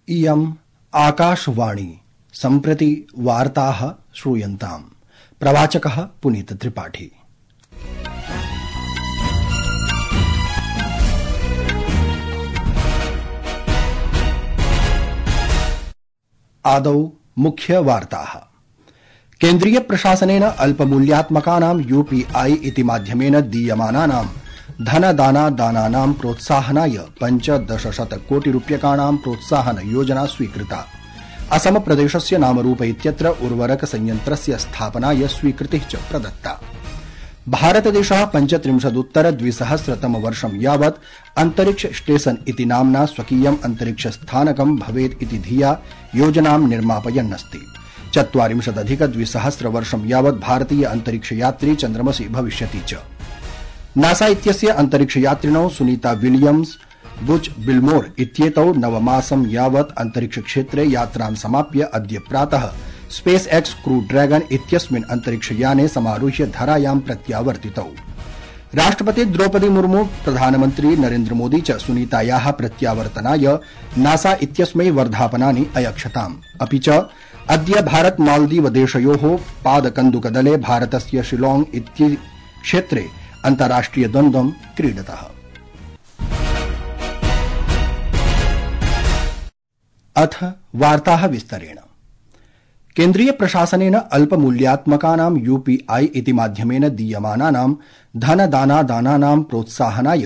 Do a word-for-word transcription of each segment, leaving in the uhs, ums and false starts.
इयम् आकाशवाणी सम्प्रति वार्ताः श्रूयन्ताम्। प्रवाचकः पुनीत त्रिपाठी। आदौ मुख्य वार्ताः। केन्द्रीय प्रशासनेन अल्पमूल्यात्मकानां यूपीआई इति माध्यमेन दीयमानानां धनदानादानानां प्रोत्साहनाय पञ्चदशशतकोटिरूप्यकाणां प्रोत्साहन योजना स्वीकृता। असम प्रदेशस्य नामरूप इत्यत्र उर्वरक संयन्त्रस्य स्थापनाय स्वीकृतिः च प्रदत्ता। भारतदेशः पञ्चत्रिंशदुत्तर द्विसहस्रतम वर्षं यावत् अन्तरिक्ष स्टेशन इति नाम्ना स्वकीयम् अन्तरिक्ष स्थानकं भवेत् इति धिया योजनां निर्मापयन्नस्ति। चत्वारिंशदधिक द्विसहस्र वर्षं यावत् भारतीय अन्तरिक्ष यात्री चन्द्रमसि भविष्यति च। नासा इत्यस्य अन्तरिक्ष यात्रिणौ सुनीता विलियम्स बुच बिल्मोर इत्येतौ नवमासं यावत् अन्तरिक्ष क्षेत्रे यात्रां समाप्य अद्य प्रातः स्पेस एक्स क्रू ड्रैगन इत्यस्मिन् अन्तरिक्षयाने समारुह्य धरायां प्रत्यावर्तितौ। राष्ट्रपति द्रौपदी मुर्मू प्रधानमन्त्री नरेन्द्र मोदी च सुनीतायाः प्रत्यावर्तनाय नासा इत्यस्मै वर्धापनानि अयच्छताम्। अपि च अद्य भारत मालदीव देशयोः पादकन्दुकदले भारतस्य शिलॉग इति क्षेत्रे अन्ताराष्ट्रिय द्वन्द्वं क्रीडतः। अथ वार्ताः विस्तरेण। केन्द्रीय प्रशासनेन अल्पमूल्यात्मकानां यूपीआई इति माध्यमेन दीयमानानां धनदानादानानां प्रोत्साहनाय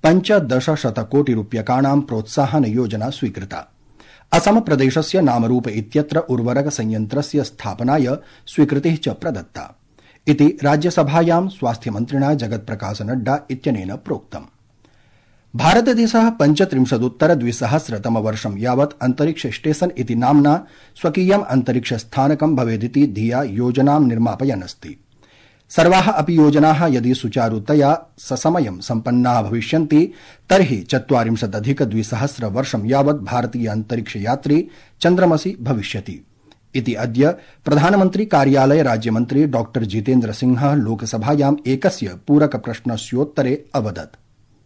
पञ्चदशशतकोटिरूप्यकाणां प्रोत्साहन योजना स्वीकृता। असम प्रदेशस्य नामरूप इत्यत्र उर्वरक संयन्त्रस्य स्थापनाय स्वीकृतिः च प्रदत्ता इति राज्यसभायां स्वास्थ्यमन्त्रिणा जगत्प्रकाश नड्डा इत्यनेन प्रोक्तम्। भारतदेशः पञ्चत्रिंशदुत्तर द्विसहस्रतम वर्षं यावत् अन्तरिक्ष स्टेशन इति नाम्ना स्वकीयम् अन्तरिक्ष स्थानकं भवेदिति धिया योजनां निर्मापयन्नस्ति। सर्वाः अपि योजनाः यदि सुचारुतया ससमयं सम्पन्नाः भविष्यन्ति तर्हि चत्वारिंशदधिक द्विसहस्र वर्षं यावत् भारतीय अन्तरिक्ष यात्री चन्द्रमसि भविष्यति इति अद्य प्रधानमन्त्री कार्यालय राज्यमन्त्री डॉ जितेन्द्र सिंहः लोकसभायाम् एकस्य पूरक प्रश्नस्योत्तरे अवदत्।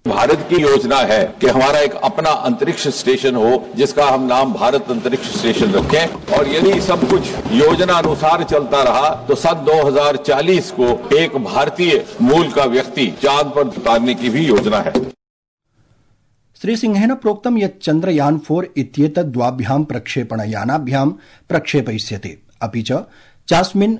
भारत की योजना है कि हमारा एक अपना अंतरिक्ष स्टेशन हो जिसका हम नाम भारत अंतरिक्ष स्टेशन रखें, और यदि सब कुछ योजना अनुसार चलता रहा तो सन दो हज़ार चालीस को एक भारतीय मूल का व्यक्ति चांद पर उतारने की भी योजना है। श्री सिंहेन प्रोक्तं यत् चन्द्रयान फोर इत्येतत् द्वाभ्यां प्रक्षेपणयानाभ्यां प्रक्षेपयिष्यते। अपि च चास्मिन्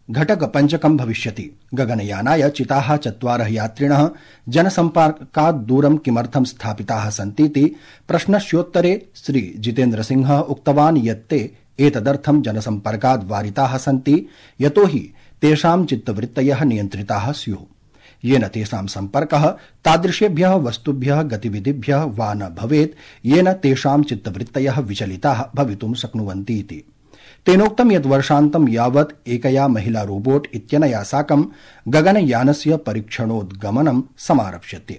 घटक पञ्चकं भविष्यति। गगनयानाय चिताः चत्वारः यात्रिणः जनसम्पर्कात् दूरं किमर्थं स्थापिताः सन्तीति प्रश्नस्योत्तरे श्री जितेन्द्र सिंहः उक्तवान् यत् ते एतदर्थं जनसम्पर्कात् वारिताः सन्ति यतोहि तेषां चित्तवृत्तयः नियन्त्रिताः स्युः, येन तेषां सम्पर्कः तादृशेभ्यः वस्तुभ्यः गतिविधिभ्यः वा न भवेत् येन तेषां चित्तवृत्तयः विचलिताः भवितुं शक्नुवन्ति इति। तेनोक्तं यत् वर्षान्तं यावत् एकया महिला रोबोट इत्यनया साकं गगनयानस्य परीक्षणोद्गमनं समारप्स्यते।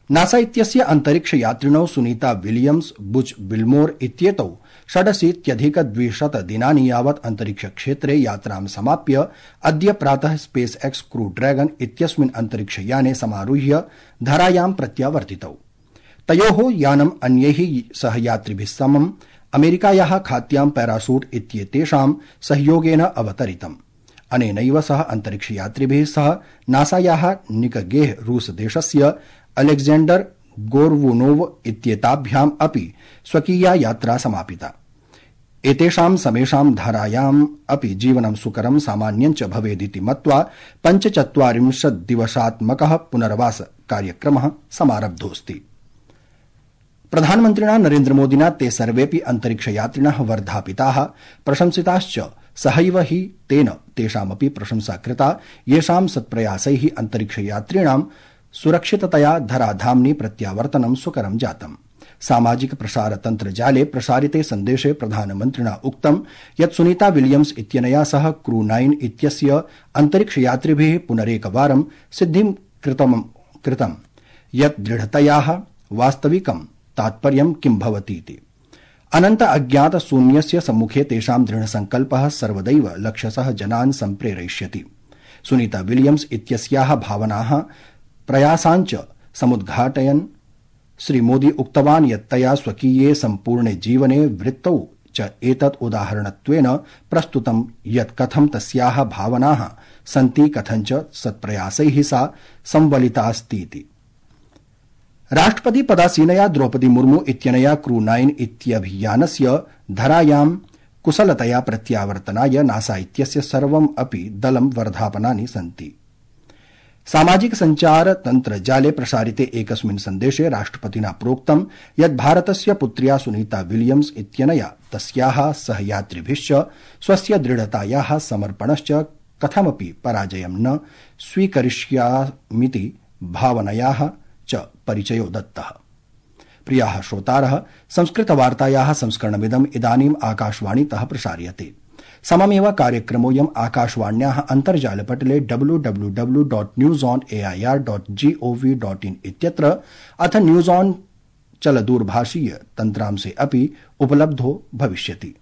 नासा इत्यस्य अन्तरिक्ष यात्रिणौ सुनीता विलियम्स बुच बिल्मोर इत्येतौ षडशीत्यधिक द्विशत दिनानि यावत् अन्तरिक्ष क्षेत्रे यात्रां समाप्य अद्य प्रातः स्पेस एक्स क्रू ड्रैगन इत्यस्मिन् अन्तरिक्षयाने समारुह्य धरायां प्रत्यावर्तितौ। तयोः यानम् अन्यैः सहयात्रिभिः समम् अमेरिकायाः खात्यां पैराशूट इत्येतेषां सहयोगेन अवतरितम्। अनेनैव सह अन्तरिक्षयात्रिभिः सह नासायाः निकगेह रूस देशस्य अलेक्जेंडर गोर्वुनोव इत्येताभ्याम् अपि स्वकीया यात्रा समापिता। एतेषां समेषां धारायाम् अपि जीवनं सुकरं सामान्यं च भवेदिति मत्वा पञ्चचत्वारिंशत् दिवसात्मकः पुनर्वास कार्यक्रमः समारब्धोऽस्ति। प्रधानमन्त्रिणा नरेन्द्र मोदिना ते सर्वेऽपि अन्तरिक्षयात्रिणः वर्धापिताः प्रशंसिताश्च। सहैव हि तेन तेषामपि प्रशंसा कृता येषां सत्प्रयासैः अन्तरिक्षयात्रिणां सुरक्षिततया धराधाम्नि प्रत्यावर्तनं सुकरं जातम्। सामाजिक प्रसारतन्त्रजाले प्रसारिते सन्देशे प्रधानमन्त्रिणा उक्तं यत् सुनीता विलियम्स इत्यनया सह क्रू नाइन इत्यस्य अन्तरिक्षयात्रिभिः पुनरेकवारं सिद्धिं कृतं यत् दृढतयाः वास्तविकं तात्पर्यं किं भवतीति। अनन्त अज्ञात शून्यस्य सम्मुखे तेषां दृढसङ्कल्पः सर्वदैव लक्षशः जनान् सम्प्रेरयिष्यति। सुनीता विलियम्स इत्यस्याः भावनाः प्रयासाञ्च समुद्घाटयन् श्रीमोदी उक्तवान् यत् तया स्वकीये सम्पूर्णे जीवने वृत्तौ च एतत् उदाहरणत्वेन प्रस्तुतं यत् कथं तस्याः भावनाः सन्ति कथञ्च सत्प्रयासैः सा संवलितास्तीति। राष्ट्रपति पदासीनया द्रौपदी मुर्मू इत्यनया क्रू नाइन इत्यभियानस्य धरायां कुशलतया प्रत्यावर्तनाय नासा इत्यस्य सर्वम् अपि दलं वर्धापनानि सन्ति। सामाजिक संचार तन्त्रजाले प्रसारिते एकस्मिन् सन्देशे राष्ट्रपतिना प्रोक्तं यत् भारतस्य पुत्र्या सुनीता विलियम्स इत्यनया तस्याः सहयात्रिभिश्च स्वस्य दृढतायाः समर्पणश्च कथमपि पराजयं न स्वीकरिष्यामीति भावनयाः च परिचयो दत्तः। प्रियाः श्रोतारः, संस्कृतवार्तायाः संस्करणमिदम् इदानीम् आकाशवाणीतः प्रसार्यते। सममेव कार्यक्रमोऽयम् आकाशवाण्याः अन्तर्जालपटले W W W dot news on AIR dot GOV dot in इत्यत्र अथ न्यूज ऑन चलदूरभाषीय तन्त्रांशे अपि उपलब्धो भविष्यति।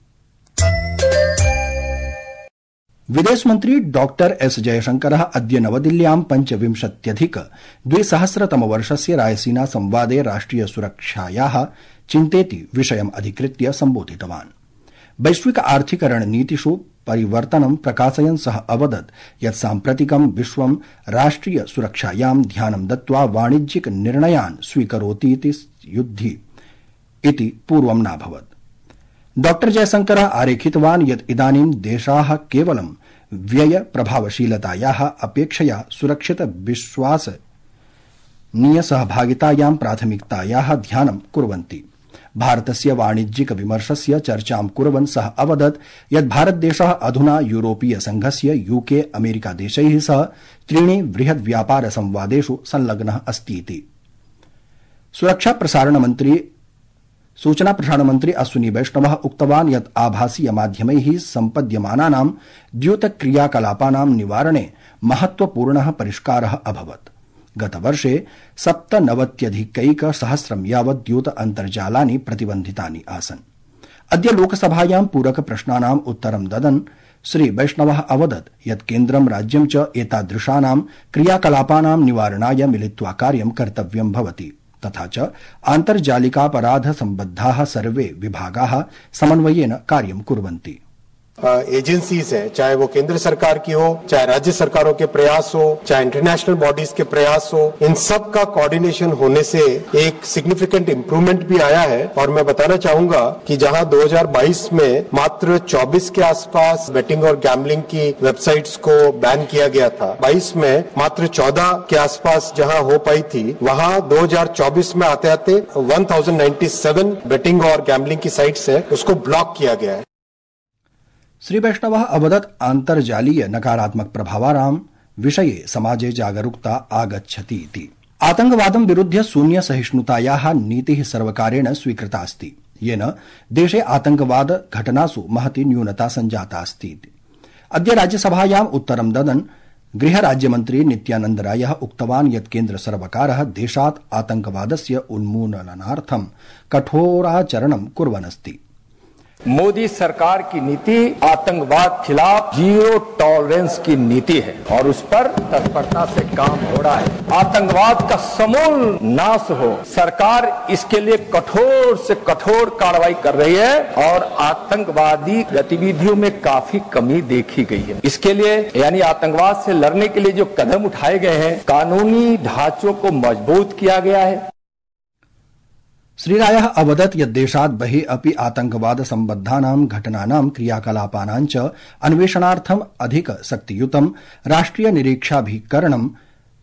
विदेशमन्त्री डॉक्टर एस जयशंकरः अद्य नवदिल्ल्यां पञ्चविंशत्यधिक द्विसहस्रतमवर्षस्य रायसीना संवादे राष्ट्रिय सुरक्षायाः चिन्तेति विषयम् अधिकृत्य सम्बोधितवान्। वैश्विक आर्थिक रणनीतिषु परिवर्तनं प्रकाशयन् सः अवदत् यत् साम्प्रतिकं विश्वं राष्ट्रिय सुरक्षायां ध्यानं दत्त्वा वाणिज्यिक निर्णयान् स्वीकरोतीति युद्धि इति पूर्वं नाभवत्। डॉक्टर जयशंकरः आरेखितवान् यत् इदानीं देशाः केवलं व्यय प्रभावशीलतायाः अपेक्षया सुरक्षित विश्वासनीय सहभागितायां प्राथमिकतायाः ध्यानं कुर्वन्ति। भारतस्य वाणिज्यिक विमर्शस्य चर्चां कुर्वन् सः अवदत् यत् भारतदेशः अधुना यूरोपीय संघस्य यूके अमेरिका देशैः सह त्रीणि बृहद् व्यापार संवादेषु संलग्नः अस्तीति। सुरक्षा प्रसारण मन्त्री सूचना प्रसारण मन्त्री अश्विनी वैष्णवः उक्तवान् यत् आभासीय माध्यमैः सम्पद्यमानानां द्यूतक्रियाकलापानां निवारणे महत्वपूर्णः परिष्कारः अभवत्। गतवर्षे सप्तनवत्यधिकैकसहस्रं यावत् द्यूत अन्तर्जालानि प्रतिबन्धितानि आसन्। अद्य लोकसभायां पूरक प्रश्नानाम् उत्तरं ददन् श्री वैष्णवः अवदत् यत् केन्द्रं राज्यं च एतादृशानां क्रियाकलापानां निवारणाय मिलित्वा कार्यं कर्तव्यं भवति। तथा च आन्तर्जालिकापराध सम्बद्धाः सर्वे विभागाः समन्वयेन कार्यं कुर्वन्ति। एजेंसीज है, चाहे वो केंद्र सरकार की हो, चाहे राज्य सरकारों के प्रयास हो, चाहे इंटरनेशनल बॉडीज के प्रयास हो, इन सब का कोऑर्डिनेशन होने से एक सिग्निफिकेंट इम्प्रूवमेंट भी आया है। और मैं बताना चाहूंगा कि जहां दो हज़ार बाईस में मात्र चौबीस के आसपास बेटिंग और गैम्बलिंग की वेबसाइट्स को बैन किया गया था, बाईस में मात्र चौदह के आसपास जहां हो पाई थी, वहां दो हज़ार चौबीस में आते आते एक हज़ार सत्तानवे बेटिंग और गैम्बलिंग की साइट्स है, उसको ब्लॉक किया गया है। श्री वैष्णवः अवदत् अन्तर्जालीय नकारात्मक प्रभावानां विषये समाजे जागरूकता आगच्छति इति। आतंकवादं विरुध्य शून्य सहिष्णुतायाः नीतिः सर्वकारेण स्वीकृता अस्ति, येन देशे आतंकवाद घटनासु महती न्यूनता सञ्जाता अस्ति। अद्य राज्यसभायाम् उत्तरं ददन् गृहराज्यमन्त्री नित्यानन्द रायः उक्तवान् यत् केन्द्र सर्वकारः देशात् आतंकवादस्य उन्मूलनार्थं कठोराचरणं कुर्वन् अस्ति। मोदी सरकार की नीति आतंकवाद खिलाफ जीरो टॉलरेंस की नीति है और उस पर तत्परता से काम हो रहा है। आतंकवाद का समूल नाश हो, सरकार इसके लिए कठोर से कठोर कार्रवाई कर रही है और आतंकवादी गतिविधियों में काफी कमी देखी गई है। इसके लिए यानी आतंकवाद से लड़ने के लिए जो कदम उठाए गए हैं, कानूनी ढांचों को मजबूत किया गया है। श्रीरायः अवदत् यत् देशात् बहिः अपि आतंकवाद सम्बद्धानां घटनानां क्रियाकलापानां च अन्वेषणार्थम् अधिक शक्तियुतं राष्ट्रिय निरीक्षाभिकरणं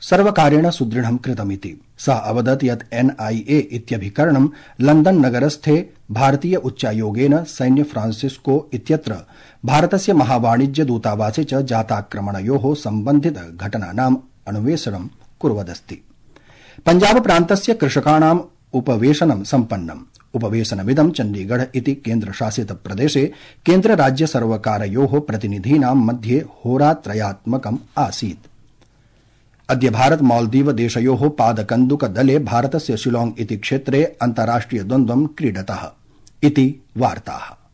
सर्वकारेण सुदृढं कृतमिति। सः अवदत् यत् एनआईए इत्यभिकरणं लंदन नगरस्थे भारतीय उच्चायोगेन सैन्य फ्रांसिस्को इत्यत्र भारतस्य महावाणिज्य दूतावासे च जाताक्रमणयोः सम्बन्धित घटनानाम् अन्वेषणं कुर्वदस्ति। पञ्जाब प्रान्तस्य कृषकाणाम् उपवेशनं सम्पन्नम्। उपवेशनमिदं चण्डीगढ़ इति केन्द्रशासित प्रदेशे केन्द्र राज्य सर्वकारयोः प्रतिनिधीनां मध्ये होरात्रयात्मकम् आसीत्। अद्य भारत मालदीव देशयोः पादकन्दुक दले भारतस्य शिलॉग इति क्षेत्रे अन्ताराष्ट्रिय द्वन्द्वं क्रीडतः इति वार्ताः।